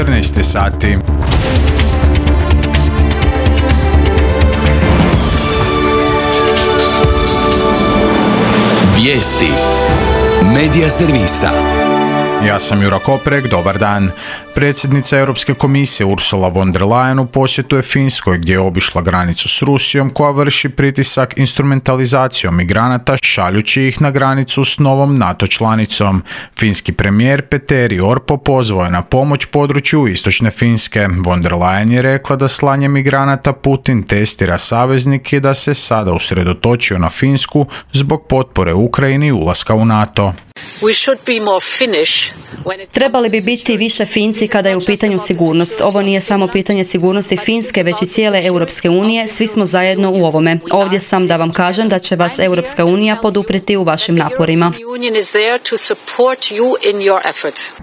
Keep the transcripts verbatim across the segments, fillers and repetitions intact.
četrnaest sati. Vijesti Medija servisa. Ja sam Jura Koprek, dobar dan. Predsjednica Europske komisije Ursula von der Leyen u posjetu je Finskoj gdje je obišla granicu s Rusijom koja vrši pritisak instrumentalizacijom migranata šaljući ih na granicu s novom NATO članicom. Finski premijer Petteri Orpo pozvao je na pomoć području istočne Finske. Von der Leyen je rekla da slanje migranata Putin testira saveznike i da se sada usredotočio na Finsku zbog potpore Ukrajini i ulaska u NATO. Trebali bi biti više Finci kada je u pitanju sigurnost. Ovo nije samo pitanje sigurnosti Finske, već i cijele Europske unije. Svi smo zajedno u ovome. Ovdje sam da vam kažem da će vas Europska unija poduprijeti u vašim naporima.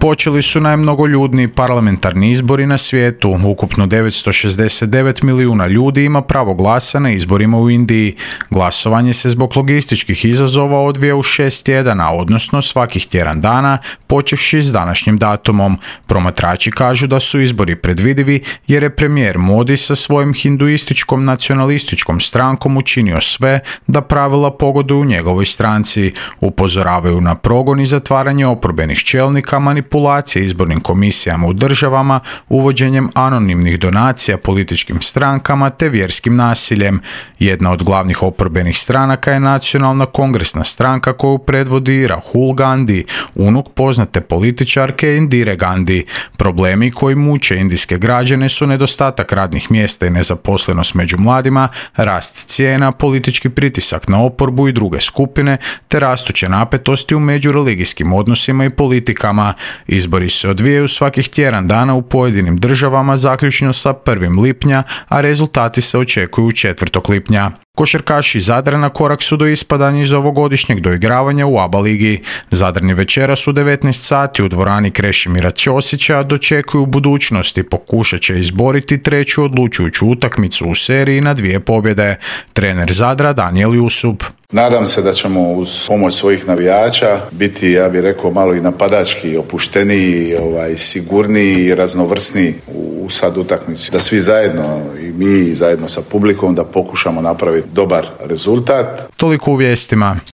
Počeli su najmnogoljudniji parlamentarni izbori na svijetu. Ukupno devetsto šezdeset devet milijuna ljudi ima pravo glasa na izborima u Indiji. Glasovanje se zbog logističkih izazova odvija u šest tjedana, odnosno svakih tjedan dana, počevši s današnjim datumom. Promatrači kažu da su izbori predvidivi jer je premijer Modi sa svojim hinduističkom nacionalističkom strankom učinio sve da pravila pogoduju njegovoj stranci. Upozoravaju na progon i zatvaranje oporbenih čelnika, manipulacije izbornim komisijama u državama, uvođenjem anonimnih donacija političkim strankama te vjerskim nasiljem. Jedna od glavnih oporbenih stranaka je Nacionalna kongresna stranka koju predvodi Rahul Gandhi, unuk poznate političarke Indire Gandhi. Problemi koji muče indijske građane su nedostatak radnih mjesta i nezaposlenost među mladima, rast cijena, politički pritisak na oporbu i druge skupine, te rastuće napetosti u međureligijskim odnosima i politikama. Izbori se odvijaju svakih tjedan dana u pojedinim državama zaključno sa prvog lipnja, a rezultati se očekuju četvrtog lipnja. Košarkaši iz Zadra na korak su do ispadanja iz ovogodišnjeg doigravanja u A B A ligi. Zadrani večeras u devetnaest sati u dvorani Krešimira Ćosića dočekuju budućnost i pokušat će izboriti treću odlučujuću utakmicu u seriji na dvije pobjede. Trener Zadra Danijel Jusup. Nadam se da ćemo uz pomoć svojih navijača biti, ja bih rekao, malo i napadački, opušteniji, ovaj, sigurniji i raznovrsniji u sad utakmici. Da svi zajedno, i mi zajedno sa publikom, da pokušamo napraviti dobar rezultat. Toliko u vijestima.